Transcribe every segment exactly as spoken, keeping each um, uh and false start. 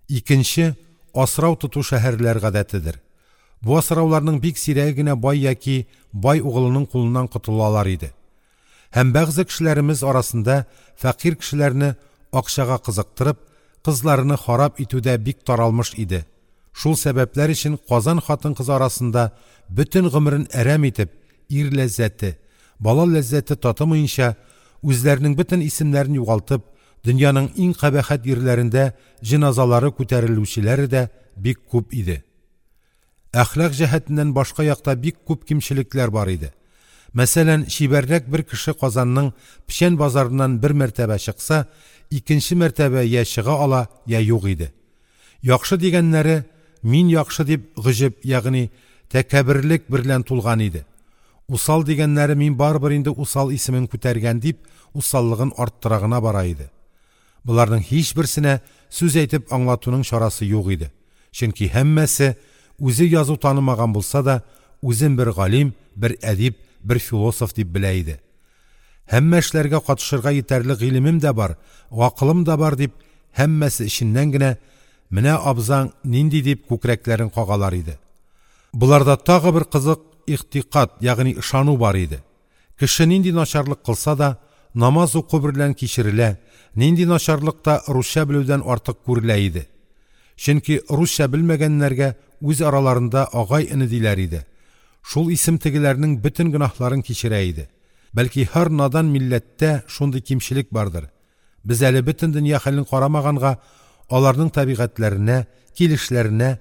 Икенче – асрау тоту шәһәрләр гадәтедер. Бу асрауларның бик сирәге генә бай яки бай угылының кулыннан котылалар иде. Һәм бәгъзе кешеләремез арасында фәкыйрь кешеләрне акчага кызыктырып, кызларыны харап итү дә бик таралмыш иде. Шул сәбәпләр өчен Казан хатын-кызы арасында бөтен гомерен әрәм итеп, ир ләззәте, бала ләззәте татымыенча, үзләренең бөтен исемнәрен югалтып, дөньяның иң кабахәт йирләрендә җеназалары күтәрелүчеләре дә бик күп иде. Әхлак җәһәтеннән башка якта бик күп кимчелекләр бар иде. Мәсәлән, чибәррәк бер кеше Казанның Печән базарыннан бер мәртәбә чыкса, икенче мәртәбә йә чыга ала, йә юк иде. Яхшы дигәннәре «мин яхшы» дип гаҗәп, ягъни тәкәбберлек берлән тулган иде. Усал дигәннәре «мин барыбер инде усал исемен күтәргән» дип, усаллыгын арттыра гына бара иде. Боларның һичберсенә сүз әйтеп аңлатуның чарасы юк иде. Чөнки һәммәсе үзе язу танымаган булса да, үзен бер галим, бер әдип, бер философ дип белә иде. Һәммә эшләргә катышырга йитәрлек гыйлемем дә бар, акылым да бар дип, һәммәсе эченнән генә «менә абзаң нинди» дип күкрәкләрен кагалар иде. Боларда тагы бер кызык игътикад, ягъни ышану бар иде. Кеше нинди начарлык кылса да, намаз уку берлән кичерелә, нинди начарлык та русча белүдән артык күрелә иде. Чөнки русча белмәгәннәргә үз араларында агай-эне диләр иде. Шул исем тегеләрнең бөтен гөнаһларын кичерә иде. Бәлки һәр надан милләттә шундый кимчелек бардыр. Без әле бөтен дөнья хәлен карамаганга, аларның табигатьләренә, килешләренә,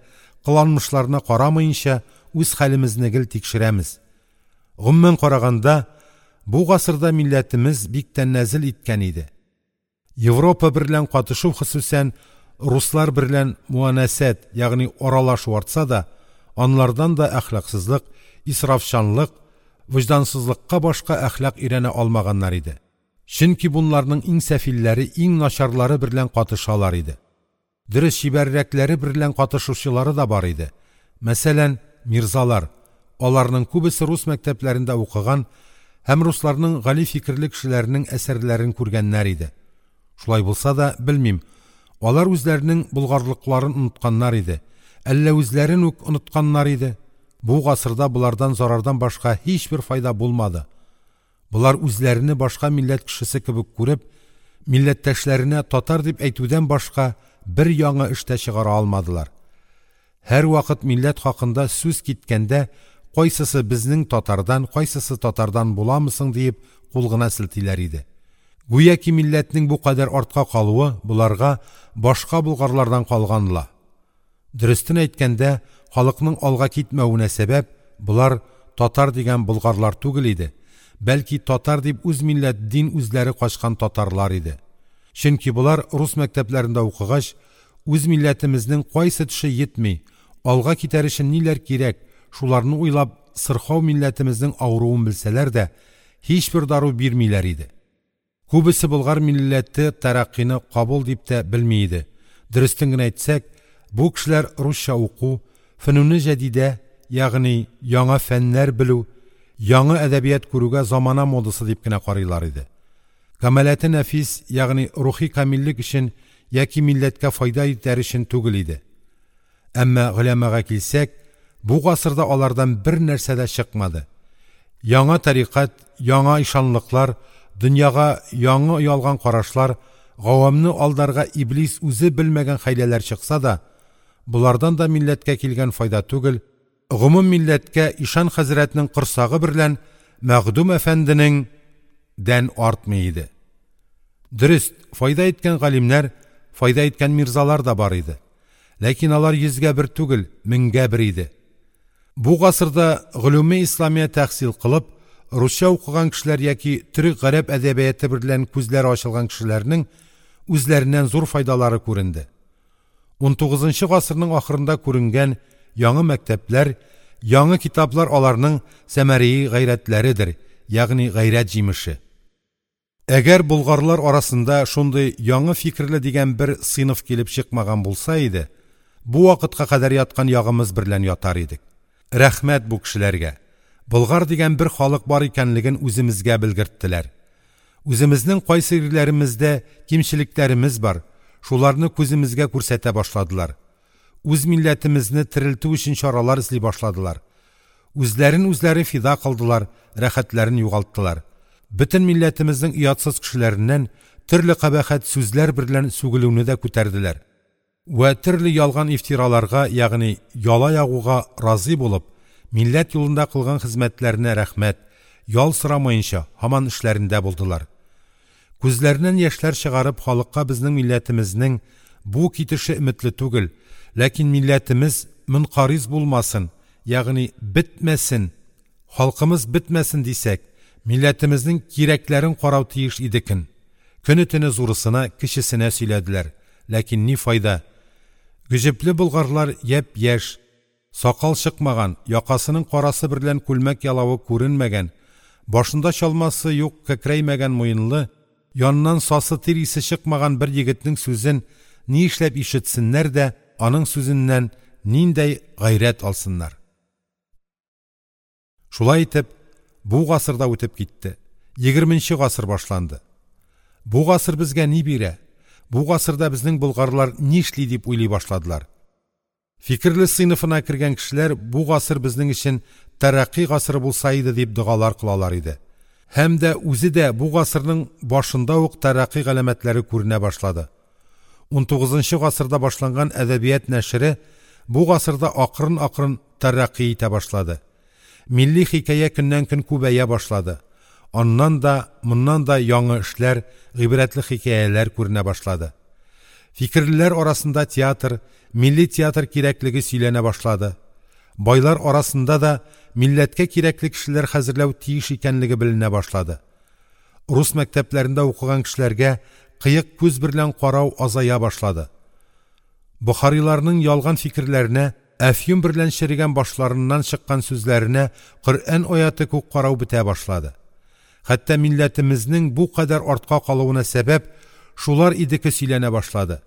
кыланмышларына карамаенча үз хәлемезне гел тикшерәмез. Гомумән караганда, бу гасырда милләтемез бик тәнәзел иткән иде. Европа берлән катышу, хосусән руслар берлән муанасәт, ягъни аралашу артса да, анлардан да әхлаксызлык, исрафчанлык, вөҗдансызлыкка башка әхлак өйрәнә алмаганнар иде. Чөнки бунларның иң сәфилләре, иң начарлары берлән катышалар иде. Дөрес чибәррәкләре берлән катышучылары да бар иде. Мәсәлән, мирзалар, аларның күбесе рус мәктәпләрендә укыган һәм русларның гали фикерле кешеләренең әсәрләрен күргәннәр иде. Шулай булса да, белмим, алар үзләренең болгарлыкларын онытканнар иде, әллә үзләрен үк онытканнар иде. Бу гасырда болардан зарардан башка һичбер файда булмады. Болар үзләрене башка милләт кешесе кебек күреп, милләттәшләренә татар дип әйтүдән башка бер яңа эш тә чыгара алмадылар. Һәрвакыт милләт хакында сүз киткәндә, кайсысы безнең татардан, кайсысы татардан буламысың диеп кул гына селтиләр иде. Гүяки милләтнең бу кадәр артка калуы боларга башка болгарлардан калганла. Дөрестен әйткәндә, халыкның алга китмәвенә сәбәп болар татар дигән болгарлар түгел иде, бәлки татар дип үз милләт дин үзләре качкан татарлар иде. Чөнки болар рус мәктәпләрендә укыгач, үз милләтемезнең кайсы төше йитми, алга китәр өчен ниләр кирәк, шуларны уйлап, сырхау милләтемезнең авыруын белсәләр дә, һичбер дару бирмиләр иде. Күбесе болгар милләте тәрәккыйны кабул дип тә белми иде. Дөрестен генә әйтсәк, бу кешеләр русча уку, фөнүне җәдидә, ягъни яңа фәннәр белү, яңа әдәбият күрүгә замана модасы дип кенә карыйлар иде. Камалаты нәфис, ягъни рухи камиллек өчен яки милләткә файда итәр өчен түгел иде. Әмма голямага килсәк, бу гасырда алардан бер нәрсә дә чыкмады. Яңа тарикат, яңа ишанлыклар, дөньяга яңа ялган карашлар, гавамны алдарга иблис үзе белмәгән хәйләләр чыкса да, болардан да милләткә килгән файда түгел, гомум милләткә ишан хәзрәтнең корсагы берлән Мәхдүм әфәнденең дән артмый иде. Дөрес, файда иткән галимнәр, файда иткән мирзалар да бар иде. Ләкин алар йөзгә бер түгел, меңгә бер иде. Бу гасырда гөлүме исламия тәхсил кылып, русча укыган кешеләр яки төрек гарәп әдәбияты берлән күзләре ачылган кешеләрнең үзләреннән зур файдалары күренде. унтугызынчы гасырның ахырында күренгән яңа мәктәпләр, яңа китаплар аларның сәмәрии гайрәтләредер, ягъни гайрәт җимеше. Әгәр болгарлар арасында шундый яңа фикерле дигән бер сыйныф килеп чыкмаган булса иде, бу вакытка кадәр яткан ягымыз берлән ятар идек. Рәхмәт бу кешеләргә. Болгар дигән бер халык бар икәнлеген үземезгә белгерттеләр. Үземезнең кайсы йирләремездә кимчелекләремез бар, Шуларны күземезгә күрсәтә башладылар. Үз милләтемезне терелтү өчен чаралар эзли башладылар. Үзләрен үзләре фида кылдылар, рәхәтләрен югалттылар. Бөтен милләтемезнең оятсыз кешеләреннән төрле кабахәт сүзләр берлән сүгелүне дә күтәрделәр. Вә төрле ялган ифтираларга, ягъни яла ягуга разый булып, милләт юлында кылган хезмәтләренә рәхмәт, ял сорамаенча һаман эшләрендә булдылар. Күзләреннән яшьләр чыгарып, халыкка безнең милләтемезнең бу китеше өметле түгел, ләкин милләтемез мөнкариз булмасын, ягъни бетмәсен, халкымыз бетмәсен дисәк, милләтемезнең кирәкләрен карау тиеш идекен. Көне-төне зурысына, кечесенә сөйләделәр. Ләкин ни файда? Гөҗепле болгарлар япь-яшь, сакал чыкмаган, якасының карасы берлән күлмәк ялавы күренмәгән, башында чалмасы юк, кәкрәймәгән муенлы, яныннан сасы тир исе чыкмаган бер егетнең сүзен ни эшләп ишетсеннәр дә, аның сүзеннән ниндәй гайрәт алсыннар. Шулай итеп, бу гасыр да үтеп китте. Егерменче гасыр башланды. Бу гасыр безгә ни бирә? Бу гасырда безнең болгарлар ни эшли дип уйлый башладылар. Фикерле сыйныфына кергән кешеләр бу гасыр безнең өчен тәрәкъкый гасыры булса иде дип догалар кылалар иде. Һәм дә үзе дә бу гасырның башында ук тәрәкъкый галәмәтләре күренә башлады. Унтугызынчы гасырда башланган әдәбият нәшре бу гасырда акрын-акрын тәрәкъкый итә башлады. Милли хикәя көннән-көн күбәя башлады. Аннан да, моннан да яңа эшләр, гыйбрәтле хикәяләр күренә башлады. Фикерлеләр арасында театр, милли театр кирәклеге сөйләнә башлады. Байлар арасында да милләткә кирәкле кешеләр хәзерләү тиеш икәнлеге беленә башлады. Рус мәктәпләрендә укыган кешеләргә кыек күз берлән карау азая башлады. Бохариларның ялган фикерләренә, әфьюн берлән черегән башларыннан чыккан сүзләренә Коръән аяты күк карау бетә башлады. Хәтта милләтемезнең бу кадәр артка калуына сәбәп шулар идеке сөйләнә башлады.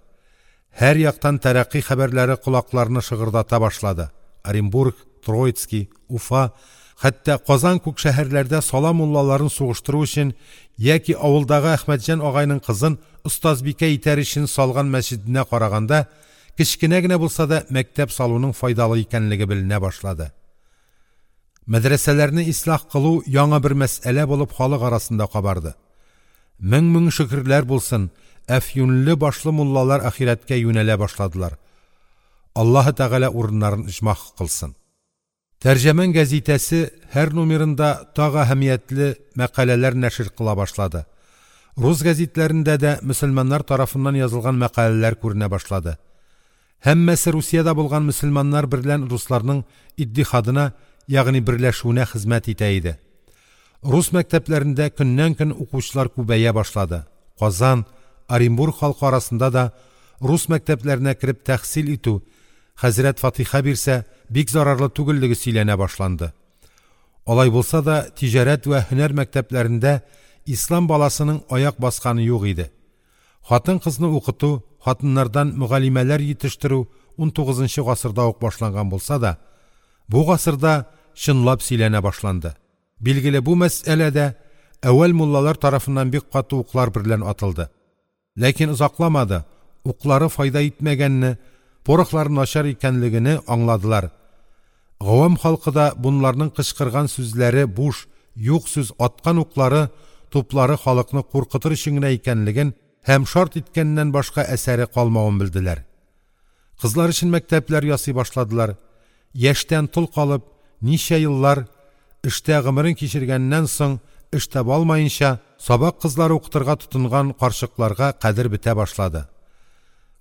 Һәр яктан тәрәкъкый хәбәрләре колакларны шыгырдата башлады. Оренбург, Троицкий, Уфа, хәтта Казан күк шәһәрләрдә сала муллаларын сугыштыру өчен яки авылдагы Әхмәтҗан агайның кызын остазбикә итәр өчен салган мәсҗиденә караганда кечкенә генә булса да мәктәп салуның файдалы икәнлеге беленә башлады. Мәдрәсәләрне ислах кылу яңа бер мәсьәлә булып халык арасында кабарды. Мең-мең шөкерләр булсын, әфьюнлы башлы муллалар ахирәткә юнәлә башладылар. Аллаһы Тәгалә урыннарын оҗмах кылсын. Тәрҗеман гәзитәсе һәр номерында тагы әһәмиятле мәкаләләр нәшр кыла башлады. Рус гәзитләрендә дә мөселманнар тарафыннан язылган мәкаләләр күренә башлады. Һәммәсе Русиядә булган мөселманнар берлән русларның иттихадына, ягъни берләшүенә хезмәт итә иде. Рус мәктәпләрендә көннән-көн укучылар күбәя башлады. Казан, Оренбург халкы арасында да рус мәктәпләренә кереп тәхсил итү, хәзрәт фатиха бирсә, бик зарарлы түгеллеге сөйләнә башланды. Алай булса да, тиҗарәт вә һөнәр мәктәпләрендә ислам баласының аяк басканы юк иде. Хатын-кызны укыту, хатыннардан мөгаллимәләр йитештерү унтугызынчы гасырда ук башланган булса да, бу гасырда чынлап сөйләнә башланды. Билгеле бу мәсьәләдә әүвәл муллалар тарафыннан бик каты уклар берлән атылды. Ләкин озакламады, уклары файда итмәгәнне, порохлары начар икәнлегене аңладылар. Гавам халкы да бунларның кычкырган сүзләре буш, юк сүз, аткан уклары, туплары халыкны куркытыр өчен генә икәнлеген һәм шарт иткәннән башка әсәре калмавын белделәр. Кызлар өчен мәктәпләр ясый башладылар. Яшьтән тол калып, ничә еллар эштә гомерен кичергәннән соң эш таба алмаенча, сабак кызлары укытырга тотынган карчыкларга кадер бетә башлады.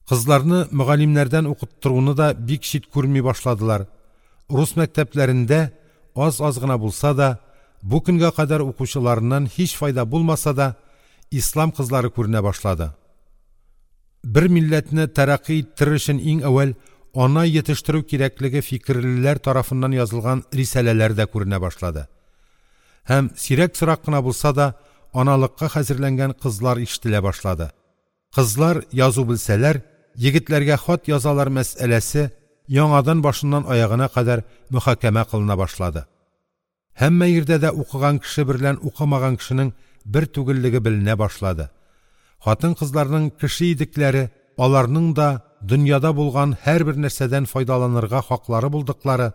Кызларны мөгаллимнәрдән укыттыруны да бик чит күрми башладылар. Рус мәктәпләрендә аз-аз гына булса да, бу көнгә кадәр укучыларыннан һич файда булмаса да, ислам кызлары күренә башлады. Бер милләтне тәрәкъкый иттерер өчен иң әүвәл ана йитештерү кирәклеге фикерлеләр тарафыннан язылган рисаләләр дә күренә башлады. Һәм сирәк-сорак кына булса да, аналыкка хәзерләнгән кызлар ишетелә башлады. Кызлар язу белсәләр, егетләргә хат язалар мәсьәләсе яңадан башыннан аягына кадәр мөхакәмә кылына башлады. Һәммә йирдә дә укыган кеше берлән укымаган кешенең бер түгеллеге беленә башлады. Хатын-кызларның кеше идекләре аларның да дөньяда булган һәрбер нәрсәдән файдаланырга хаклары булдыклары,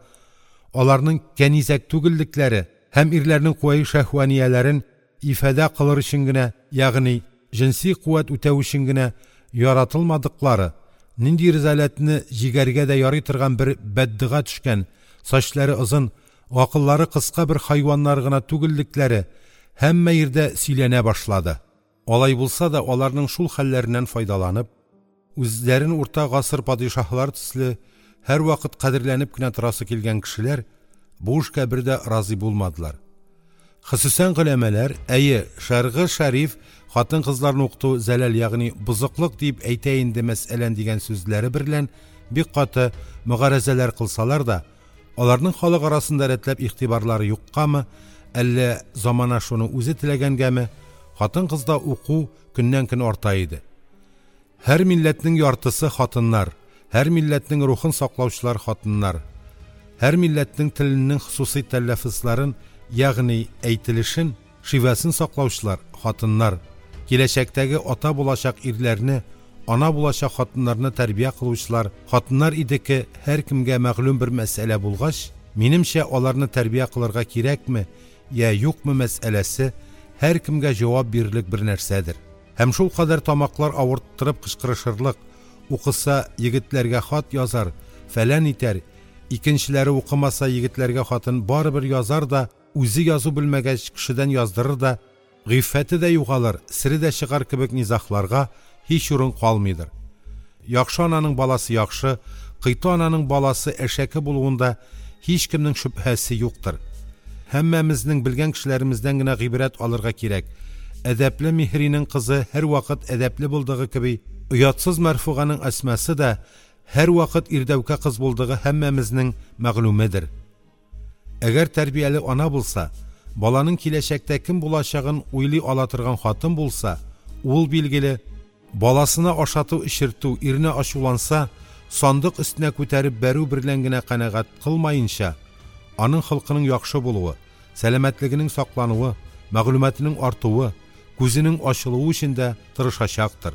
аларның кәнизәк түгеллекләре һәм ирләрнең куәи шәһванияләрен ифадә кылыр өчен генә, ягъни җенси куәт үтәү өчен генә яратылмадыклары, нинди ризаләтне җигәргә дә ярый торган бер бәддога төшкән, сачлары озын, акыллары кыска бер хайваннар гына түгеллекләре һәммә йирдә сөйләнә башлады. Алай булса да, аларның шул хәлләреннән файдаланып, үзләрен урта гасыр падишаһлар төсле һәрвакыт кадерләнеп кенә торасы килгән кешеләр бу эшкә бер дә разый булмадылар. Хосусән голямалар, әйе, шәргы шәриф хатын-кызларны укыту зәләл, ягъни бозыклык дип әйтә инде мәсьәлән дигән сүзләре берлән бик каты мөгарәзәләр кылсалар да, аларның халык арасында рәтләп игътибарлары юккамы, әллә замана шуны үзе теләгәнгәме, хатын-кызда уку көннән-көн арта иде. Һәр милләтнең яртысы хатыннар, һәр милләтнең рухын саклаучылар хатыннар, һәр милләтнең теленең хосусый тәләффузларын, ягъни әйтелешен, шивәсен саклаучылар хатыннар, киләчәктәге ата булачак ирләрне, ана булачак хатыннарны тәрбия кылучылар хатыннар идеке һәркемгә мәгълүм бер мәсьәлә булгач, минемчә, аларны тәрбия кылырга кирәкме я юкмы мәсьәләсе һәркемгә җавап бирерлек бер нәрсәдер. Һәм шул кадәр тамаклар авырттырып кычкырышырлык, укыса егетләргә хат язар, фәлән итәр, икенчеләре укымаса егетләргә хатын барыбер язар да, үзе язу белмәгәч кешедән яздырыр да, гыйффәте дә югалыр, сере дә чыгар кебек низахларга һич урын калмыйдыр. Яхшы ананың баласы яхшы, кыйты ананың баласы әшәке булуында һичкемнең шөбһәсе юктыр. Һәммәмезнең белгән кешеләремездән генә гыйбрәт алырга кирәк. Әдәпле Миһринең кызы һәрвакыт әдәпле булдыгы кеби, оятсыз Мәрфуганың Әсмасы да һәрвакыт ирдәүкә кыз булдыгы һәммәмезнең мәгълүмедер. Әгәр тәрбияле ана булса, баланың киләчәктә кем булачагын уйлый ала торган хатын булса, ул билгеле баласына ашату эчертү, иренә ачуланса, сандык өстенә күтәреп бәрү берлән генә канәгать кылмаенча, аның холкының яхшы булуы, сәламәтлегенең саклануы, мәгълүматының артуы, күзенең ачылуы өчен дә тырышачактыр.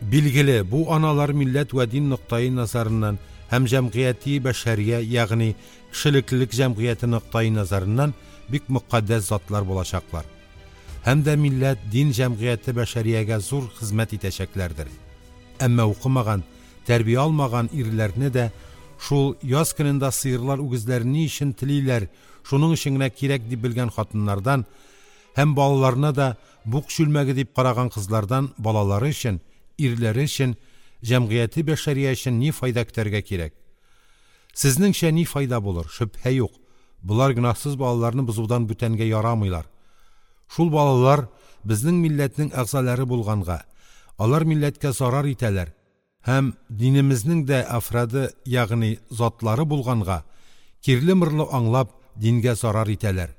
Билгеле, бу аналар милләт вә дин ноктаи назарыннан һәм җәмгыяти бәшәрия, ягъни кешелеклелек җәмгыяте ноктаи назарыннан бик мөкатдәс затлар булачаклар. Һәм дә милләт, дин җәмгыяте бәшәриягә зур хезмәт итәчәкләрдер. Әмма укымаган, тәрбия алмаган ирләрне дә шул яз көнендә сыерлар үгезләрен ни өчен телиләр, шуның өчен генә кирәк дип белгән хатыннардан һәм балаларына да бук чүлмәге дип караган кызлардан балалары өчен, ирләре өчен, җәмгыяте бәшәрия өчен ни файда көтәргә кирәк? Сезнеңчә ни файда булыр? Шөбһә юк. Болар гөнаһсыз балаларны бозудан бүтәнгә ярамыйлар. Шул балалар безнең милләтнең әгъзалары булганга, алар милләткә зарар итәләр һәм динемезнең дә афрады, ягъни затлары булганга, кирле-мырлы аңлап дингә зарар итәләр.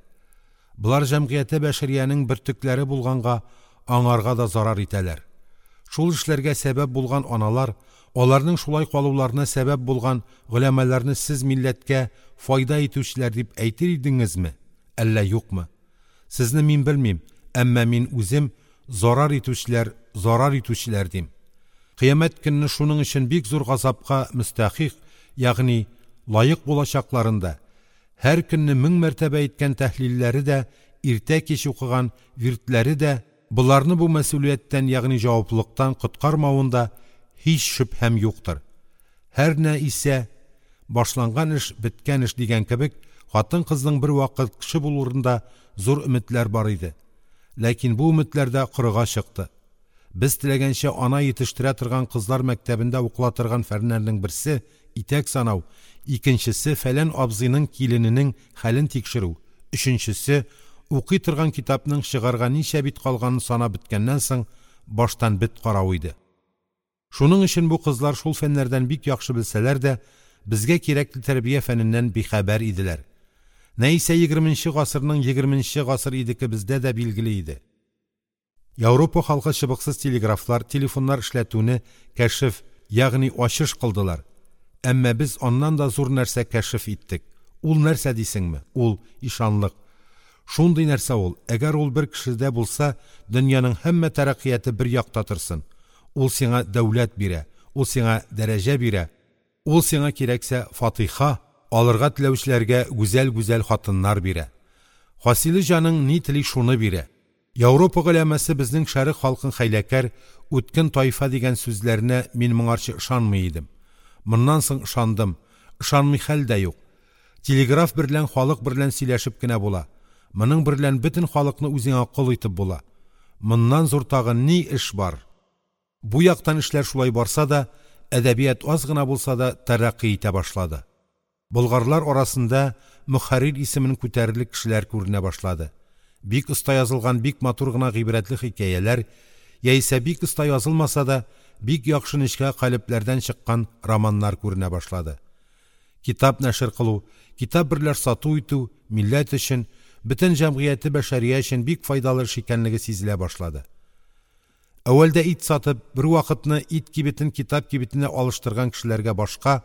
Болар җәмгыяте бәшәриянең бөртекләре булганга, аңарга да зарар итәләр. Шул эшләргә сәбәп булган аналар, аларның шулай калуларына сәбәп булган голямаларны сез милләткә файда итүчеләр дип әйтер идеңезме, әллә юкмы? Сезне мин белмим, әмма мин үзем зарар итүчеләр, зарар итүчеләр дим. Кыямәт көнне шуның өчен бик зур газапка мөстәхик, ягъни лаек булачакларында, һәр көнне мең мәртәбә әйткән тәһлилләре дә, иртә кич укыган виртләре дә боларны бу мәсьүлияттән, ягъни җаваплылыктан коткармавында һич шөбһәм юктыр. Һәр нә исә башланган эш беткән эш дигән кебек, хатын-кызның бер вакыт кеше булуында зур өметләр бар иде. Ләкин бу өметләр дә корыга чыкты. Без теләгәнчә ана йитештерә торган кызлар мәктәбендә укыла торган фәннәрнең берсе итәк санау, икенчесе фәлән абзыйның килененең хәлен тикшерү, өченчесе укый торган китапның чыгарга ничә бит калганын санап беткәннән соң баштан бит карау иде. Шуның өчен бу кызлар шул фәннәрдән бик яхшы белсәләр дә, безгә кирәкле тәрбия фәненнән бихәбәр иделәр. Нәйсә егерменче гасырның егерменче гасыр идеке бездә дә билгеле иде. Европа халкы чыбыксыз телеграфлар, телефоннар эшләтүне кәшеф, ягъни ачыш кылдылар. Әмма без аннан да зур нәрсә кәшеф иттек. Ул нәрсә дисеңме? Ул ишанлык. Шундый нәрсә ул, әгәр ул бер кешедә булса, дөньяның һәммә тәрәккыяте бер якта торсын. Ул сиңа дәүләт бирә, ул сиңа дәрәҗә бирә, ул сиңа кирәксә фатиха, алырга теләүчеләргә гүзәл-гүзәл хатыннар бирә. Хасиле җаның ни тели шуны бирә. Аурупа голямасы безнең шәрык халкын хәйләкәр, үткен тайфа дигән сүзләренә мин моңарчы ышанмый идем. Моннан соң ышандым, ышанмый хәл дә юк. Телеграф берлән халык берлән сөйләшеп кенә була. Моның берлән бөтен халыкны үзеңә кол итеп була. Моннан зур тагы ни эш бар? Бу яктан эшләр шулай барса да, әдәбият аз гына булса да тәрәкъкый итә башлады. Болгарлар арасында мөхәррир исемен күтәрерлек кешеләр күренә башлады. Бик оста язылган бик матур гына гыйбрәтле хикәяләр, яисә бик оста язылмаса да, бик яхшы нечкә калебләрдән чыккан романнар күренә башлады. Китап нәшер кылу, китап берләр сату итү милләт өчен, бөтен җәмгыяте бәшәрия өчен бик файдалы эш икәнлеге сизелә башлады. Әүвәлдә ит сатып, бер вакытны ит кибетен китап кибетенә алыштырган кешеләргә башка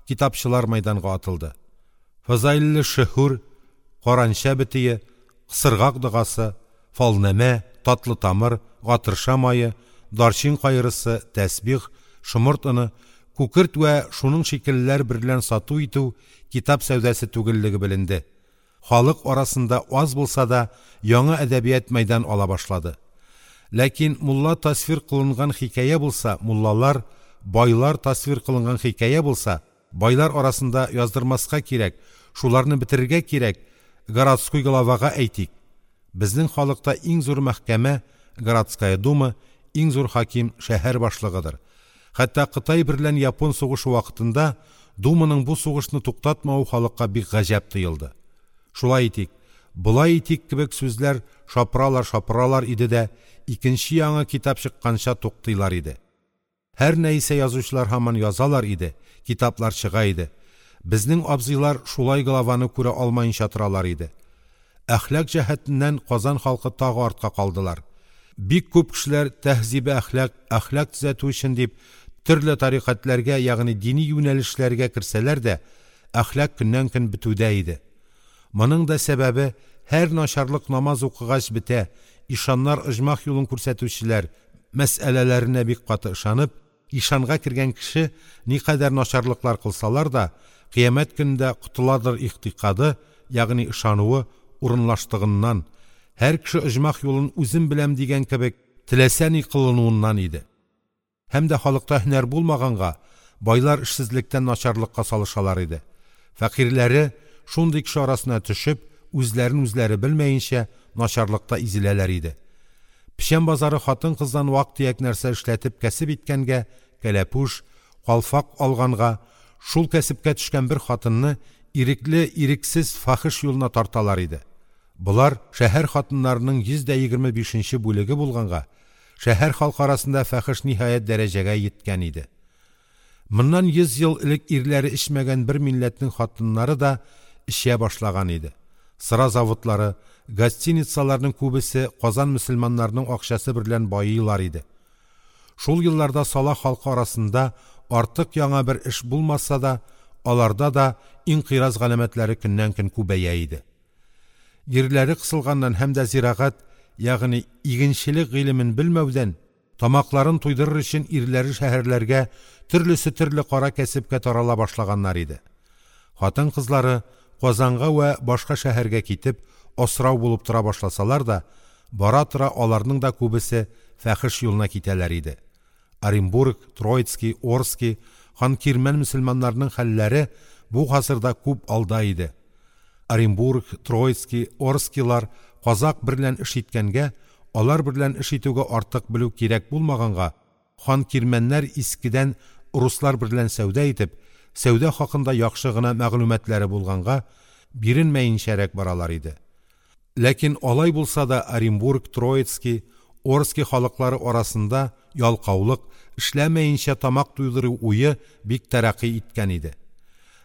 китапчылар мәйданга атылды. Фазайлы шөһүр, каранча бетие, сыргак догасы, фалнамә, татлы тамыр, гатырша мае, дарчин кайрысы, тәсбих, шомырт оны, күкерт вә шуның шикеллеләр берлән сату итү китап сәүдәсе түгеллеге беленде. Халык арасында аз булса да яңа әдәбият мәйдан ала башлады. Ләкин мулла тасвир кылынган хикәя булса, муллалар, байлар тасвир кылынган хикәя булса, байлар арасында яздырмаска кирәк, шуларны бетерергә кирәк, городской главага әйтик. Безнең халыкта иң зур мәхкәмә, городская дума, иң зур хаким шәһәр башлыгыдыр. Хәтта Кытай берлән Япон сугышы вакытында думаның бу сугышны туктатмавы халыкка бик гаҗәп тоелды. Шулай итик, болай итик кебек сүзләр шапыралар-шапыралар иде дә, икенче яңа китап чыкканча туктыйлар иде. Һәр нәрсә язучылар һаман язалар иде, китаплар чыга иде. Безнең абзыйлар шулай главаны күрә алмаенча торалар иде. Әхлак җәһәтеннән Казан халкы тагы артка калдылар. Бик күп кешеләр тәһзибе әхлак, әхлак төзәтү өчен дип төрле тарикатларга, ягъни дини юнәлешләргә керсәләр дә, әхлак көннән-көн бетүдә иде. Моның да сәбәбе һәр начарлык намаз укыгач бетә, ишаннар оҗмах юлын күрсәтүчеләр мәсьәләләренә бик каты ышанып, ишанга кергән кеше никадәр начарлыклар кылсалар да, кыямәт көнендә котыладыр игътикады, ягъни ышануы урынлаштыгыннан, һәр кеше оҗмах юлын үзем беләм дигән кебек теләсә ни кылынуыннан иде. Һәм дә халыкта һөнәр булмаганга, байлар эшсезлектән начарлыкка салышалар иде. Фәкыйрьләре шундый кеше арасына төшеп, үзләрен үзләре белмәенчә начарлыкта изеләләр иде. Печән базары хатын-кыздан вак-төяк нәрсә эшләтеп кәсеп иткәнгә, кәләпүш, калфак алганга, шул кәсепкә төшкән бер хатынны ирекле, ирексез фахиш юлына тарталар иде. Болар шәһәр хатыннарының йөз дә егерме бишенче бүлеге булганга, шәһәр халкы арасында фахиш ниһаять дәрәҗәгә йиткән иде. Моннан йөз ел элек ирләре эчмәгән бер милләтнең хатыннары да эчә башлаган иде. Сыра заводлары, гостиницаларның күбесе Казан мөселманнарының акчасы берлән байыйлар иде. Шул елларда сала халкы арасында артык яңа бер эш булмаса да, аларда да инкыйраз галәмәтләре көннән-көн күбәя иде. Йирләре кысылганнан һәм дә зирагат, ягъни игенчелек гыйлемен белмәүдән, тамакларын туйдырыр өчен ирләре шәһәрләргә төрлесе төрле кара кәсепкә тарала башлаганнар иде. Хатын-кызлары Казанга вә башка шәһәргә китеп, асрау булып тора башласалар да, бара-тора аларның да күбесе фахиш юлына китәләр иде. Оренбург, Троицкий, Орский, Ханкирмән мөселманнарының хәлләре бу гасырда күп алда иде. Оренбург, Троицкий, Орскийлар казак берлән эш иткәнгә, алар берлән эш итүгә артык белү кирәк булмаганга, ханкирмәннәр искедән руслар берлән сәүдә итеп, сәүдә хакында яхшы гына мәгълүматлары булганга, биренмәенчәрәк баралар иде. Ләкин алай булса да Оренбург, Троицкий, Орский халыклары арасында ялкаулык, эшләмәенчә тамак туйдыру уе бик тәрәкъкый иткән иде.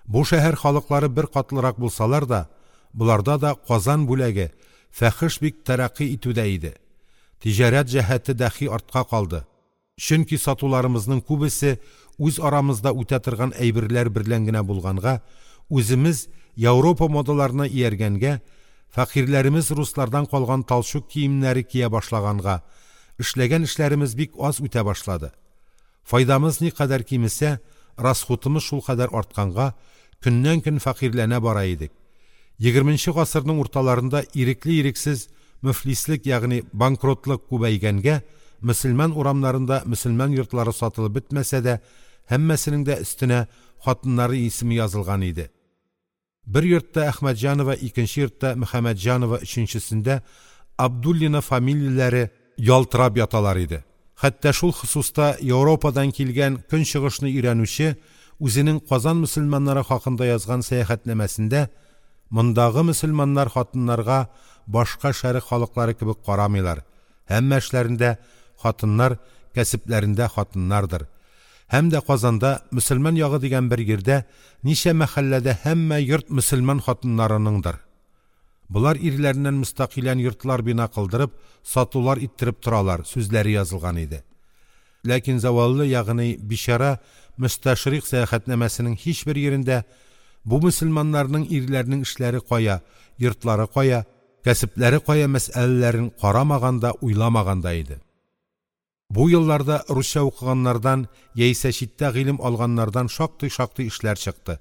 Бу шәһәр халыклары бер катлырак булсалар да, буларда да Казан бүләге фахиш бик тәрәкъкый итүдә иде. Тиҗарәт җәһәте дәхи артка калды. Чөнки сатуларымызның күбесе үз арамызда үтә торган әйберләр берлән генә булганга, үземез Европа модаларына ияргәнгә, фәкыйрьләремез руслардан калган талчук киемнәре кия башлаганга, эшләгән эшләремез бик аз үтә башлады. Файдамыз никадәр кимесә, расхутымыз шулкадәр артканга, көннән-көн фәкыйрьләнә бара идек. Егерменче гасырның урталарында ирекле-ирексез мөфлислек, ягъни банкротлык күбәйгәнгә, мөселман урамнарында мөселман йортлары сатылып бетмәсә дә, һәммәсенең дә өстенә хатыннары исеме язылган иде. Бер йортта Әхмәтҗанова, икенче йортта Мөхәммәтҗанова, өченчесендә Абдуллина фамилияләре ялтырап яталар иде. Хәтта шул хосуста Аурупадан килгән көнчыгышны өйрәнүче үзенең Казан мөселманнары хакында язган сәяхәтнамәсендә мондагы мөселманнар хатыннарга башка шәрык халыклары кебек карамыйлар. Һәммә эшләрендә хатыннар, кәсепләрендә хатыннардыр. Һәм дә Казанда мөселман ягы дигән бер йирдә ничә мәхәлләдә һәммә йорт мөселман хатыннарыныңдыр. Булар ирләреннән мөстәкыйлән йортлар бина кылдырып, сатулар иттереп торалар сүзләре язылган иде. Ләкин заваллы, ягъни бичара мөстәшрик сәяхәтнамәсенең һичбер йирендә бу мөселманнарның ирләренең эшләре кая, йортлары кая, кәсепләре кая мәсьәләләрен карамаган да, уйламаган да иде. Бу елларда русча укыганнардан яисә читтә гыйлем алганнардан шактый-шактый эшләр чыкты.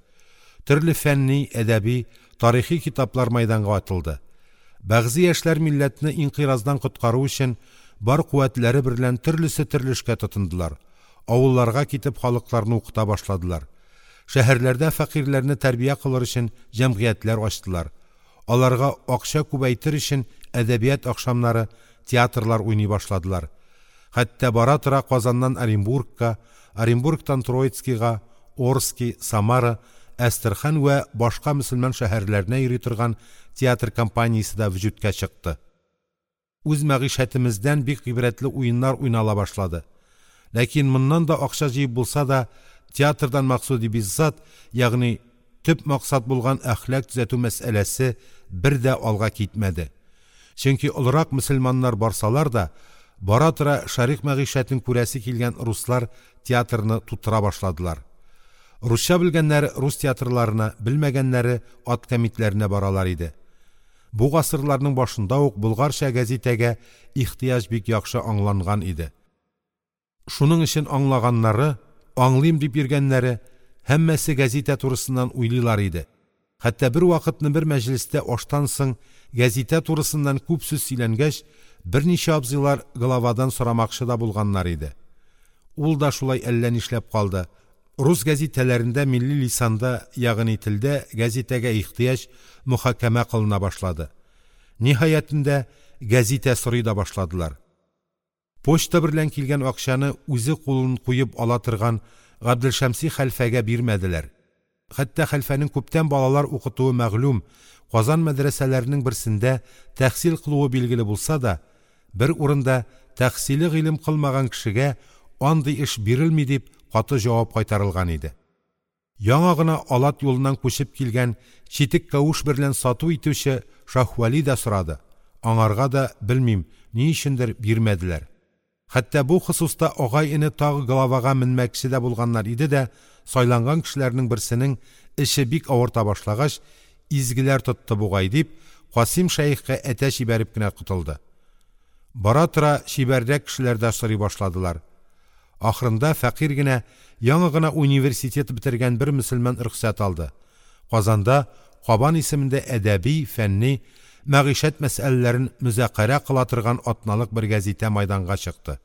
Төрле фәнни, әдәби, тарихи китаплар мәйданга атылды. Бәгъзе яшьләр милләтне инкыйраздан коткару өчен бар куәтләре берлән төрлесе төрле эшкә тотындылар. Авылларга китеп халыкларны укыта башладылар. Шәһәрләрдә фәкыйрьләрне тәрбия кылыр өчен җәмгыятьләр ачтылар. Аларга акча күбәйтер өчен әдәбият ахшамнары, театрлар уйный башладылар. Хәтта бара-тора Казаннан Оренбургка, Оренбургтан Троицкига, Орски, Самара, Әстерхан вә башка мөселман шәһәрләренә йөри торган театр компаниясе дә вөҗүдкә чыкты. Үз мәгыйшәтемездән бик гыйбрәтле уеннар уйнала башлады. Ләкин моннан да акча җыеп булса да, театрдан максуди биззат, ягъни төп максат булган әхлак төзәтү мәсьәләсе бер дә алга китмәде. Чөнки олырак мөселманнар барсалар да, бара-тора шәрык мәгыйшәтен күрәсе килгән руслар театрны тутыра башладылар. Русча белгәннәре рус театрларына, белмәгәннәре ат кәмитләренә баралар иде. Бу гасырларның башында ук булгарча гәзитәгә ихтыяҗ бик яхшы аңланган иде. Шуның өчен аңлаганнары, аңлыйм дип йөргәннәре һәммәсе гәзитә турысыннан уйлыйлар иде. Хәтта бер вакытны бер мәҗлестә аштан соң гәзитә турысыннан күп сүз сөйләнгәч, берничә абзыйлар главадан сорамакчы да булганнар иде. Ул да шулай әллә нишләп калды. Рус гәзитәләрендә милли лисанда, ягъни телдә гәзитәгә ихтыяҗ мөхакәмә кылына башлады. Ниһаятендә гәзитә сорый да башладылар. Почта берлән килгән акчаны үзе кулын куеп ала торган Габделшәмси хәлфәгә бирмәделәр. Хәтта хәлфәнең күптән балалар укытуы мәгълүм, Казан мәдрәсәләренең берсендә тәхсил кылуы билгеле булса да, бер урында тәхсиле гыйлем кылмаган кешегә андый эш бирелми дип каты җавап кайтарылган иде. Яңа гына Алат юлыннан күчеп килгән читек кавыш берлән сату итүче Шаһвәли дә сорады. Аңарга да белмим, ни өчендер бирмәделәр. Хәтта бу хосуста агай-эне тагы главага менмәкче дә булганнар иде дә, сайланган кешеләрнең берсенең эше бик авырта башлагач, изгеләр тотты бугай дип, Касыйм шәехкә әтәч җибәреп кенә котылды. Бара-тора чибәррәк кешеләр дә сорый башладылар. Ахырында фәкыйрь генә, яңа гына университет бетергән бер мөселман рөхсәт алды. Казанда Кабан исемендә әдәби, фәнни, мәгыйшәт мәсьәләләрен мөзакәрә кыла торган атналык бер гәзитә майданга чыкты.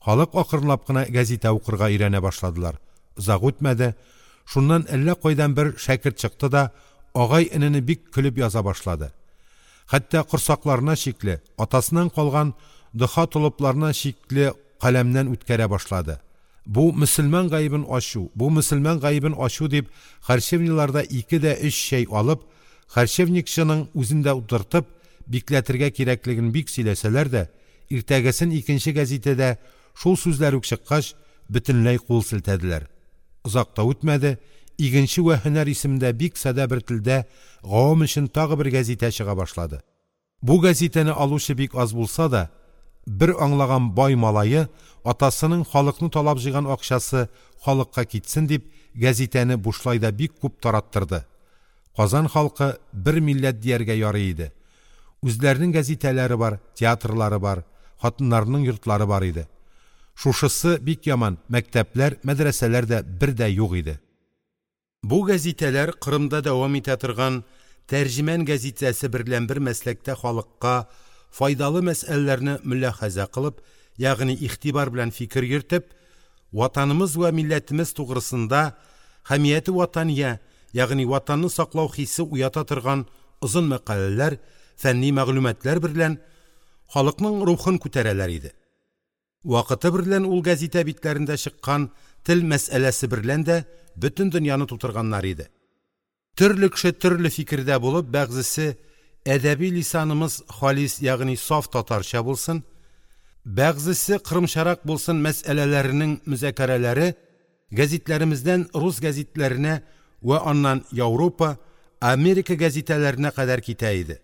Халык акрынлап кына гәзитә укырга өйрәнә башладылар. Озак үтмәде, шуннан әллә кайдан бер шәкерт чыкты да, агай-энене бик көлеп яза башлады. Хәтта корсакларына шикле, атасыннан калган доха толыпларына шикле каләмнән үткәрә башлады. Бу мөселман гаебен ачу, бу мөселман гаебен ачу дип, харчевниларда ике дә өч чәй алып, харчевникчының үзен дә утыртып, бикләтергә кирәклеген бик сөйләсәләр дә, иртәгесен икенче гәзитәдә шул сүзләр үк чыккач, бөтенләй кул селтәделәр. Озак та үтмәде, Игенче вә һөнәр исемендә бик садә бер телдә гавам өчен тагы бер гәзитә чыга башлады. Бу гәзитәне алучы бик аз булса да, бер аңлаган бай малае атасының халыкны талап җыйган акчасы халыкка китсен дип гәзитәне бушлай да бик күп тараттырды. Казан халкы бер милләт дияргә ярый иде. Үзләренең гәзитәләре бар, театрлары бар, хатыннарының йортлары бар иде. Шушысы бик яман, мәктәпләр, мәдрәсәләр дә бер дә юк иде. Бу гәзитәләр Кырымда дәвам итә торган «Тәрҗеман» гәзитәсе берлән бер мәсләктә халыкка файдалы мәсьәләләрне мөляхәзә кылып, ягъни игътибар белән фикер йөртеп, ватанымыз вә милләтемез тугрысында хәмияте ватания, ягъни ватанны саклау хисе уята торган озын мәкаләләр, фәнни мәгълүматлар берлән халыкның рухын күтәрәләр иде. Вакыты берлән ул гәзитә битләрендә чыккан тел мәсьәләсе берлән дә бөтен дөньяны тутырганнар иде. Төрле кеше төрле фикердә булып, бәгъзесе әдәби лисанымыз халис, ягъни саф татарча булсын, бәгъзесе кырымчарак булсын мәсьәләләренең мөзакәрәләре гәзитләремездән рус гәзитләренә вә аннан Аурупа, Америка гәзитәләренә кадәр китә иде.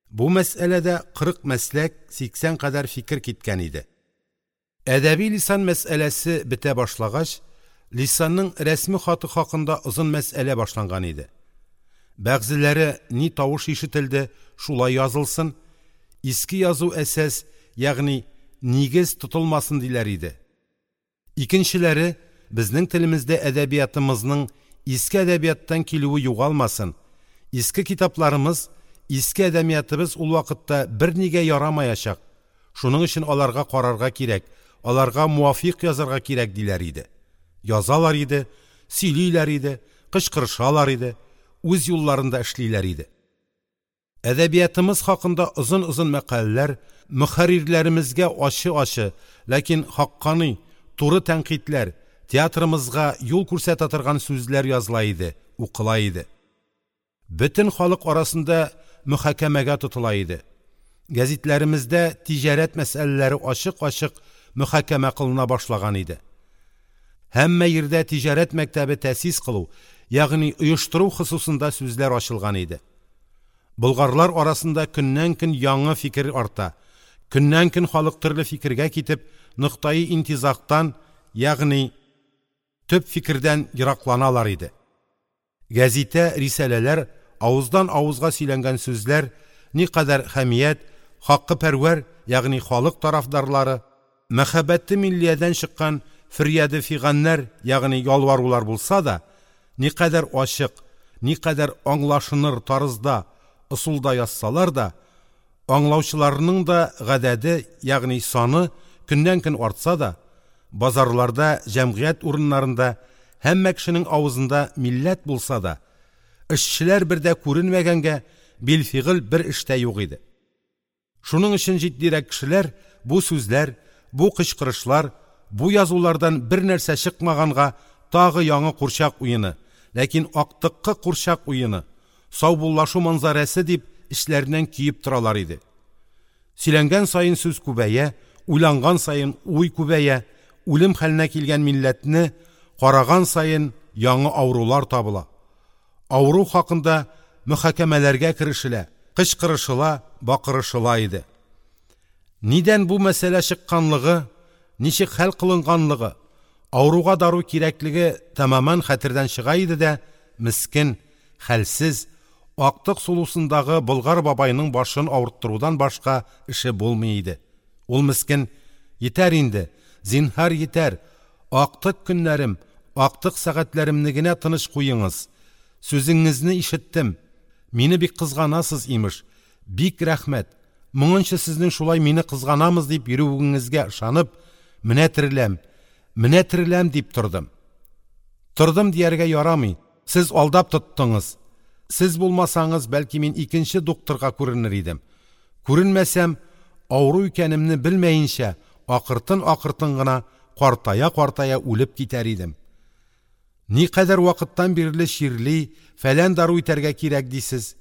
Бу мәсьәләдә кырык мәсләк, сиксән кадәр фикер киткән иде. Әдәби лисан мәсьәләсе бетә башлагач, лисанның рәсми хаты хакында озын мәсьәлә башланган иде. Бәгъзеләре ни тавыш ишетелде, шулай язылсын, иске язу әсәс, ягъни нигез тотылмасын диләр иде. Икенчеләре безнең телемездә әдәбиятымызның иске әдәбияттан килүе югалмасын, иске китапларымыз, иске әдәбиятыбыз ул вакытта бернигә ярамаячак, шуның өчен аларга карарга кирәк, аларга муафиқ язарга кирәк диләр иде. Язалар иде, сөйлиләр иде, кычкырышалар иде, үз юлларында эшлиләр иде. Әдәбиятымыз хакында озын-озын мәкаләләр, мөхәррирләремезгә ачы-ачы, ләкин хаккани, туры тәнкыйтьләр, театрымызга юл күрсәтә торган сүзләр языла иде, укыла иде. Бөтен халык арасында мөхакәмәгә тотыла иде. Гәзитләремездә тиҗарәт мәсьәләләре ачык-ачык мөхакәмә кылына башлаган иде. Һәммә йирдә тиҗарәт мәктәбе тәэсис кылу, ягъни оештыру хосусында сүзләр ачылган иде. Болгарлар арасында көннән-көн яңа фикер арта, көннән-көн халык төрле фикергә китеп, ноктаи интизактан, ягъни төп фикердән еракланалар иде. Гәзитә, рисаләләр, авыздан авызга сөйләнгән сүзләр никадәр хәмият, хаккы пәрвәр, ягъни халык тарафдарлары, мәхәббәте миллиядән чыккан фөрьяды фиганнар, ягъни ялварулар булса да, никадәр ачык, никадәр аңлашыныр тарызда, ысулда язсалар да, аңлаучыларның да гадәде, ягъни саны көннән-көн артса да, базарларда, җәмгыять урыннарында һәммә кешенең авызында милләт булса да, эшчеләр бердә күренмәгәнгә билфигыль бер эштә юк иде. Шуның өчен җитдирәк кешеләр бу сүзләр, бу кычкырышлар, бу язулардан бер нәрсә чыкмаганга тагы яңа курчак уены, ләкин актыккы курчак уены, саубуллашу манзарасы дип эшләреннән киеп торалар иде. Сөйләнгән саен сүз күбәя, уйланган саен уй күбәя, үлем хәленә килгән милләтне караган саен яңа авырулар табыла. Авыру хакында мөхакәмәләргә керешелә, кычкырышыла, бакырышыла иде. Нидән бу мәсьәлә чыкканлыгы, ничек хәл кылынганлыгы, авыруга дару кирәклеге тәмамән хәтердән чыга иде дә, мискен, хәлсез, актык сулусындагы болгар бабайның башын авырттырудан башка эше булмый иде. Ул мискен: "Йитәр инде, зинһар йитәр, актык көннәрем, актык сәгатьләремне генә тыныч куеңыз. Сүзеңезне ишеттем. Мине бик кызганасыз имеш. Бик рәхмәт. Моңынча сезнең шулай мине кызганамыз дип йөрүегезгә ышанып, менә тереләм, менә тереләм дип тордым. Тордым дияргә ярамый. Сез алдап тоттыңыз. Сез булмасаңыз, бәлки мин икенче докторга күренер идем. Күренмәсәм, авыру икәнемне белмәенчә, акыртын-акыртын гына картая-картая үлеп китәр идем. Никадәр вакыттан бирле чирли, фәлән дару итәргә кирәк дисез.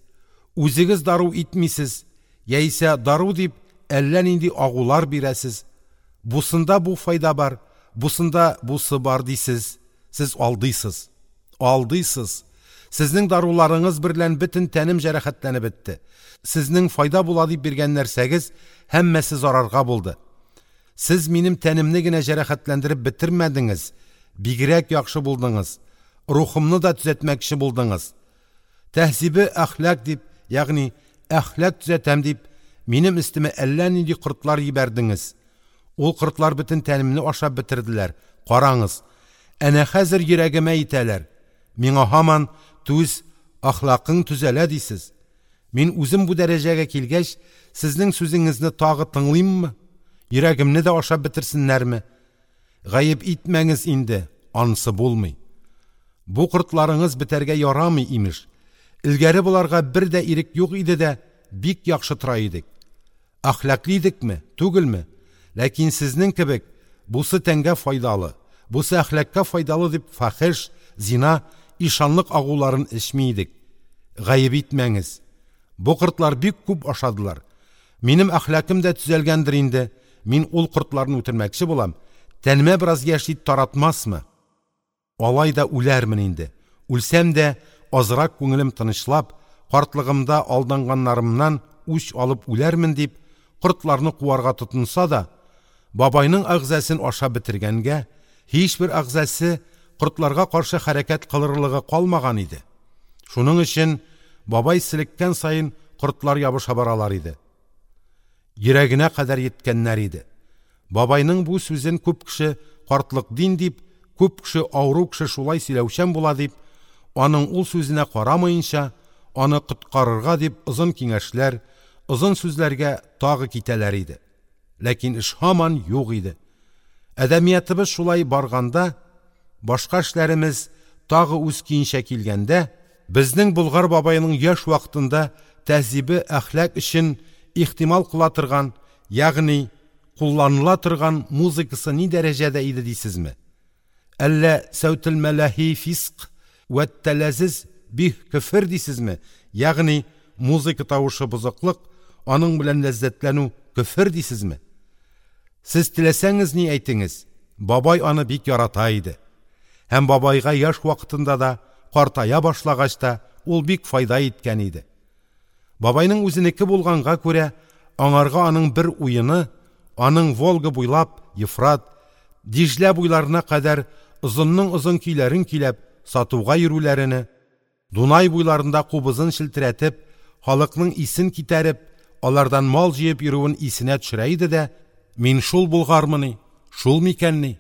Үзегез дару итмисез, яисә дару дип әллә нинди агулар бирәсез. Бусында бу файда бар, бусында бусы бар дисез. Сез алдыйсыз. Алдыйсыз. Сезнең даруларыңыз берлән бөтен тәнем җәрәхәтләнеп бетте. Сезнең файда була дип биргән нәрсәгез һәммәсе зарарга булды. Сез минем тәнемне генә җәрәхәтләндереп бетермәдеңез, бигрәк яхшы булдыңыз. Рухымны да төзәтмәкче булдыңыз. Тәһзибе әхлак дип, ягъни әхлак төзәтәм дип, минем өстемә әллә нинди кортлар җибәрдеңез. Ул кортлар бөтен тәнемне ашап бетерделәр, караңыз, әнә хәзер йөрәгемә йитәләр, миңа һаман түз, әхлакың төзәлә дисез. Мин үзем бу дәрәҗәгә килгәч, сезнең сүзеңезне тагы тыңлыйммы? Йөрәгемне дә ашап бетерсеннәрме? Гаеп итмәңез инде, ансы булмый. Бу кортларыңыз бетәргә ярамый, имеш. Элгәре боларга бер дә ирек юк иде дә, бик яхшы тора идек. Әхлаклы идекме, түгелме? Ләкин сезнең кебек, бусы тәнгә файдалы, бусы әхлакка файдалы дип фахеш, зина, ишанлык агуларын эчми идек. Гаеп итмәңез. Бу кортлар бик күп ашадылар. Минем әхлакым да төзәлгәндер инде. Мин ул кортларны үтермәкче булам. Тәнемә бераз яшь ит таратмасмы? Алай да үләрмен инде. Үлсәм дә, азрак күңелем тынычлап, картлыгымда алданганнарымнан үч алып үләрмен дип, кортларны куарга тотынса да, бабайның әгъзасын ашап бетергәнгә, һичбер әгъзасы кортларга каршы хәрәкәт кылырлыгы калмаган иде. Шуның өчен бабай селеккән саен кортлар ябыша баралар иде. Йөрәгенә кадәр йиткәннәр иде. Бабайның бу сүзен күп кеше картлык дин дип, күп кеше авыру кеше шулай сөйләүчән була дип, аның ул сүзенә карамаенча, аны коткарырга дип озын киңәшләр, озын сүзләргә тагы китәләр иде. Ләкин эш һаман юк иде. Әдәбиятыбыз шулай барганда, башка эшләремез тагы үз көенчә килгәндә, безнең Болгар бабайның яшь вакытында тәһзибе әхлак өчен ихтимал кыла торган, ягъни кулланыла торган музыкасы ни дәрәҗәдә иде дисезме? Әллә сәүтел мәләһи фиск вә тәләзиз бих көфер дисезме? Ягъни музыка тавышы бозыклык, аның белән ләззәтләнү көфер дисезме? Сез теләсәңез ни әйтеңез, бабай аны бик ярата иде. Һәм бабайга яшь вакытында да, картая башлагач та, ул бик файда иткән иде. Бабайның үзенеке булганга күрә, аңарга аның бер уены, аның Волга буйлап, Ефрат, Диҗлә буйларына кадәр озынның озын көйләрен көйләп, сатуга йөрүләрене, Дунай буйларында кубызын челтерәтеп, халыкның исен китәреп, алардан мал җыеп йөрүен исенә төшерә иде дә, мин шул булгармыни, шул микәнни?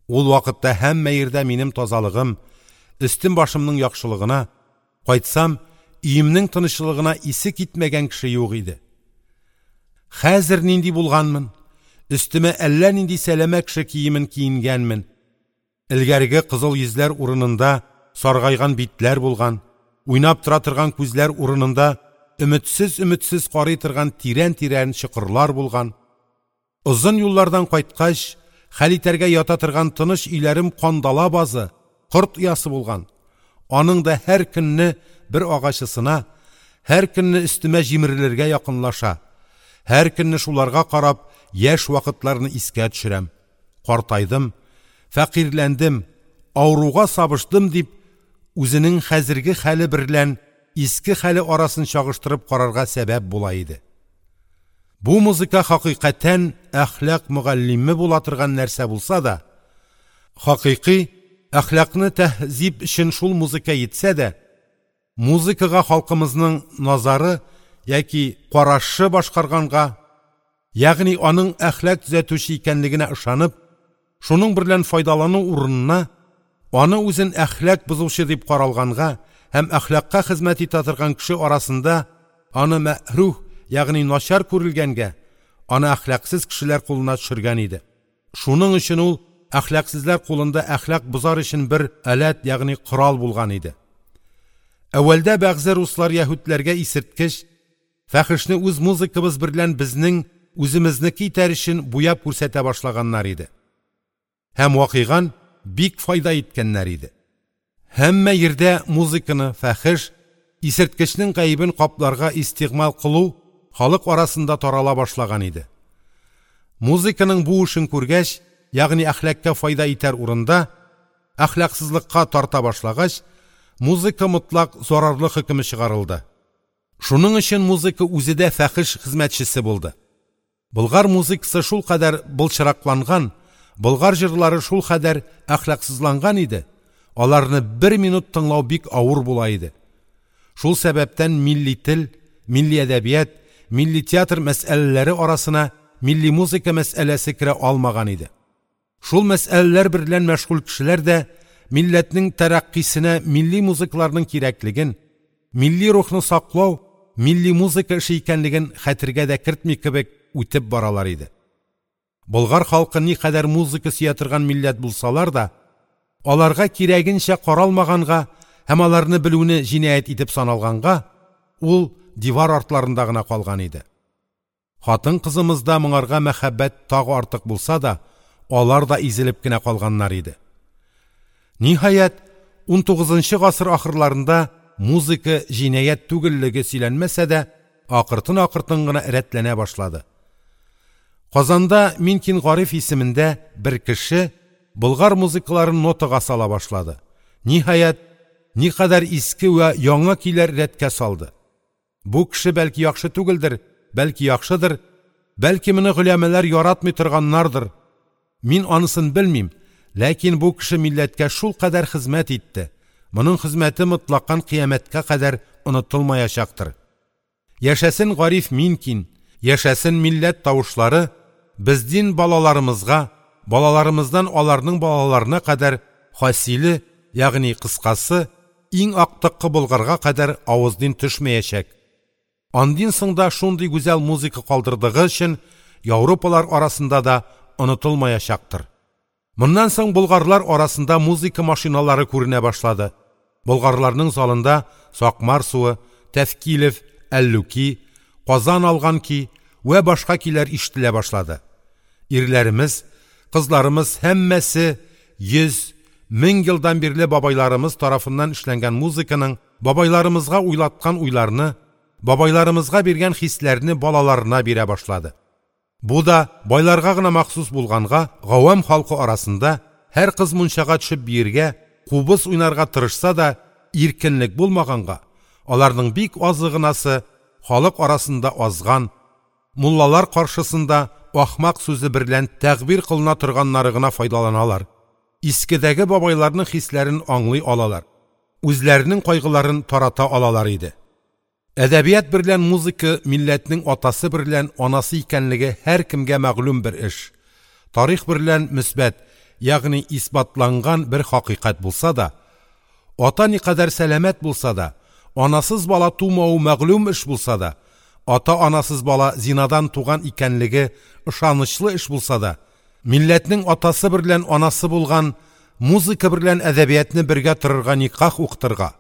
Ул вакытта һәммә йирдә минем тазалыгым, өстем башымның яхшылыгына, кайтсам, өемнең тынычлыгына исе китмәгән кеше юк иде. Хәзер нинди булганмын? Өстемә әллә нинди сәләмә кеше киемен киенгәнмен. Элгәреге кызыл йөзләр урынында саргайган битләр булган, уйнап тора торган күзләр урынында өметсез-өметсез карый торган тирән-тирән чокырлар булган. Озын юллардан кайткач, хәл итәргә ята торган тыныч өйләрем кандала базы, корт оясы булган. Аның да һәр көнне бер агачысына, һәр көнне өстемә җимерелергә якынлаша. Һәр көнне шуларга карап, яшь вакытларны искә төшерәм. Картайдым, фәкыйрьләндем, авыруга сабыштым дип, үзенең хәзерге хәле берлән иске хәле арасын чагыштырып карарга сәбәп була иде. Бу музыка хакыйкатән әхлак мөгаллиме була торган нәрсә булса да, хакыйкый әхлакны тәһзиб өчен шул музыка йитсә дә, музыкага халкымызның назары яки карашы башкарганга, ягъни аның әхлак төзәтүче икәнлегенә ышанып, шуның берлән файдалану урынына аны үзен әхлак бозучы дип каралганга һәм әхлакка хезмәт итә торган кеше арасында аны мәхрух, ягъни начар күрелгәнгә, аны әхлаксыз кешеләр кулына төшергән иде. Шуның өчен ул әхлаксызлар кулында әхлак бозар өчен бер аләт, ягъни корал булган иде. Әүвәлдә бәгъзе руслар яһүдләргә исерткеч, фәхешне үз музыкабыз берлән безнең үземезнеке итәр өчен буяп күрсәтә башлаганнар иде. Һәм вакыйган бик файда иткәннәр иде. Һәммә йирдә музыканы, фәхеш, исерткечнең гаебен капларга истигъмал кылу халык арасында тарала башлаган иде. Музыканың бу эшен күргәч, ягъни әхлакка файда итәр урында әхлаксызлыкка тарта башлагач, музыка мотлак зарарлы хөкеме чыгарылды. Шуның өчен музыка үзе дә фәхеш хезмәтчесе булды. Болгар музыкасы шул кадәр былчыракланган, болгар җырлары шул кадәр әхлаксызланган иде, аларны бер минут тыңлау бик авыр була иде. Шул сәбәптән милли тел, милли әдәбият, милли театр мәсьәләләре арасына милли музыка мәсьәләсе керә алмаган иде. Шул мәсьәләләр берлән мәшгуль кешеләр дә милләтнең тәрәкъкыйсенә милли музыкаларның кирәклеген, милли рухны саклау, милли музыка эше икәнлеген хәтергә дә кертми кебек үтеп баралар иде. Болгар халкы никадәр музыка сөя торган милләт булсалар да, аларга кирәгенчә каралмаганга һәм аларны белүне җинаять итеп саналганга, ул дивар артларында гына калган иде. Хатын-кызымызда моңарга мәхәббәт тагы артык булса да, алар да изелеп кенә калганнар иде. Ниһаять, унтугызынчы гасыр ахырларында музыка җинаять түгеллеге сөйләнмәсә дә, акыртын-акыртын гына рәтләнә башлады. Казанда Минкин Гариф исемендә бер кеше болгар музыкаларын нотага сала башлады. Ниһаять, никадәр иске вә яңа көйләр рәткә салды. Бу кеше бәлки яхшы түгелдер, бәлки яхшыдыр, бәлки моны голямалар яратмый торганнардыр. Мин анысын белмим, ләкин бу кеше милләткә шулкадәр хезмәт итте. Моның хезмәте мотлакан кыямәткә кадәр онытылмаячактыр. Яшәсен Гариф Минкин, яшәсен милләт тавышлары, бездин балаларымызга, балаларымыздан аларның балаларына кадәр хасиле, ягъни кыскасы, иң актыккы Болгарга кадәр авыздин төшмәячәк. Андин соң да шундый гүзәл музыка калдырдыгы өчен Европалар арасында да онытылмаячактыр. Моннан соң болгарлар арасында музыка машиналары күренә башлады. Болгарларның залында Сакмар суы, Тәфкилев, Әллүки, Казан алган ки вә башка көйләр ишетелә башлады. Ирләребез, кызларымыз һәммәсе йөз, мең елдан бирле бабайларымыз тарафыннан эшләнгән музыканың бабайларымызга уйлаткан уйларны, бабайларымызга биргән хисләрне балаларына бирә башлады. Бу да байларга гына махсус булганга, гавам халкы арасында һәр кыз мунчага төшеп биергә, кубыз уйнарга тырышса да, иркенлек булмаганга, аларның бик азы гынасы халык арасында азган, муллалар каршысында ахмак сүзе берлән тәгъбир кылына торганнары гына файдаланалар. Искедәге бабайларның хисләрен аңлый алалар. Үзләренең кайгыларын тарата алалар иде. Әдәбият берлән музыка милләтнең атасы берлән анасы икәнлеге һәркемгә мәгълүм бер эш. Тарих берлән мөсбәт, ягъни исбатланган бер хакыйкать булса да, ата никадәр сәламәт булса да, анасыз бала тумавы мәгълүм эш булса да, ата-анасыз бала зинадан туган икәнлеге ышанычлы эш булса да, милләтнең атасы берлән анасы булган музыка берлән әдәбиятны бергә торырга никах укытырга,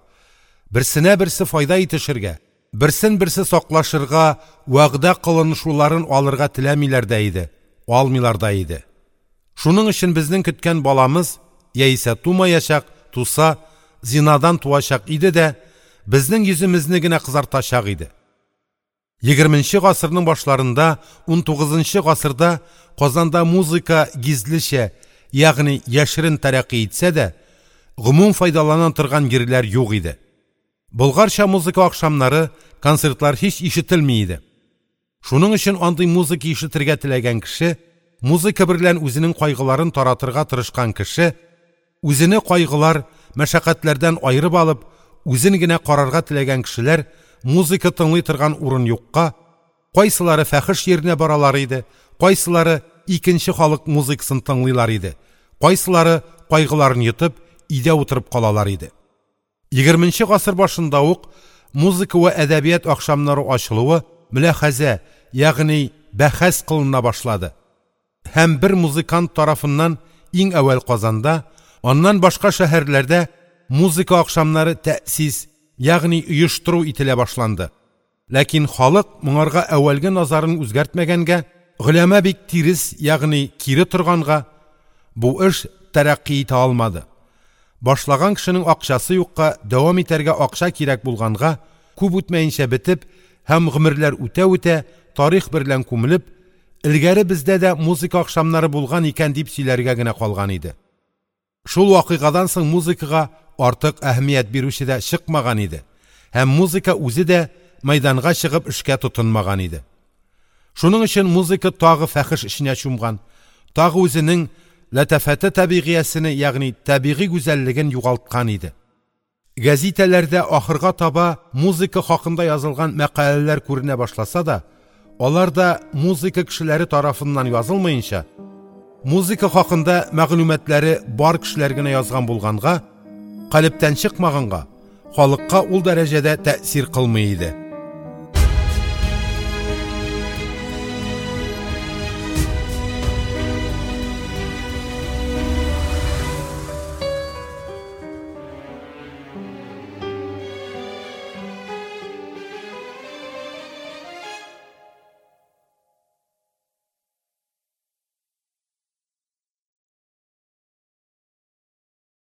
берсенә берсе файда итешергә, берсен берсе саклашырга вәгъдә кылынышуларын алырга теләмиләр дә иде, алмыйлар да иде. Шуның өчен безнең көткән баламыз яисә тумаячак, туса зинадан туачак иде дә, безнең йөземезне генә кызартачак иде. Егерменче гасырның башларында, унтугызынчы гасырда Казанда музыка гизлечә, ягъни яшерен тәрәкъкый итсә дә, гомум файдалана торган йирләр юк иде. Болгарча музыка ахшамнары, концертлар һич ишетелми иде. Шуның өчен андый музыка ишетергә теләгән кеше, музыка берлән үзенең кайгыларын таратырга тырышкан кеше, үзене кайгылар, мәшәкатьләрдән аерып алып, үзен генә карарга теләгән кешеләр музыка тыңлый торган урын юкка, кайсылары фәхеш йиренә баралар иде, кайсылары икенче халык музыкасын тыңлыйлар иде, кайсылары кайгыларын йотып, өйдә утырып калалар иде. Егерменче гасыр башында ук музыка вә әдәбият ахшамнары ачылуы мөляхәзә, ягъни бәхәс кылына башлады. Һәм бер музыкант тарафыннан иң әүвәл Казанда, аннан башка шәһәрләрдә музыка ахшамнары тәэсис, ягъни оештыру ителә башланды. Ләкин халык моңарга әүвәлге назарын үзгәртмәгәнгә, голәмә бик тирес, ягъни кире торганга, бу эш тәрәкъкый итә алмады. Башлаган кешенең акчасы юкка, дәвам итәргә акча кирәк булганга, күп үтмәенчә бетеп һәм гомерләр үтә-үтә тарих берлән күмелеп, элгәре бездә дә музыка ахшамнары булган икән дип сөйләргә генә калган иде. Шул вакыйгадан соң музыкага артык әһәмият бирүче дә чыкмаган иде һәм музыка үзе дә мәйданга чыгып эшкә тотынмаган иде. Шуның өчен музыка тагы фәхеш эченә чумган, тагы үзенең ләтафәте табигыясене, ягъни табигый гүзәллеген югалткан иде. Гәзитәләрдә ахырга таба музыка хакында язылган мәкаләләр күренә башласа да, Алар да музыка кешеләре тарафыннан язылмаенча, музыка хакында мәгълүматлары бар кешеләр генә язган булганга, йөрәктән чыкмаганга, халыкка ул дәрәҗә тәэсир кылмый иде.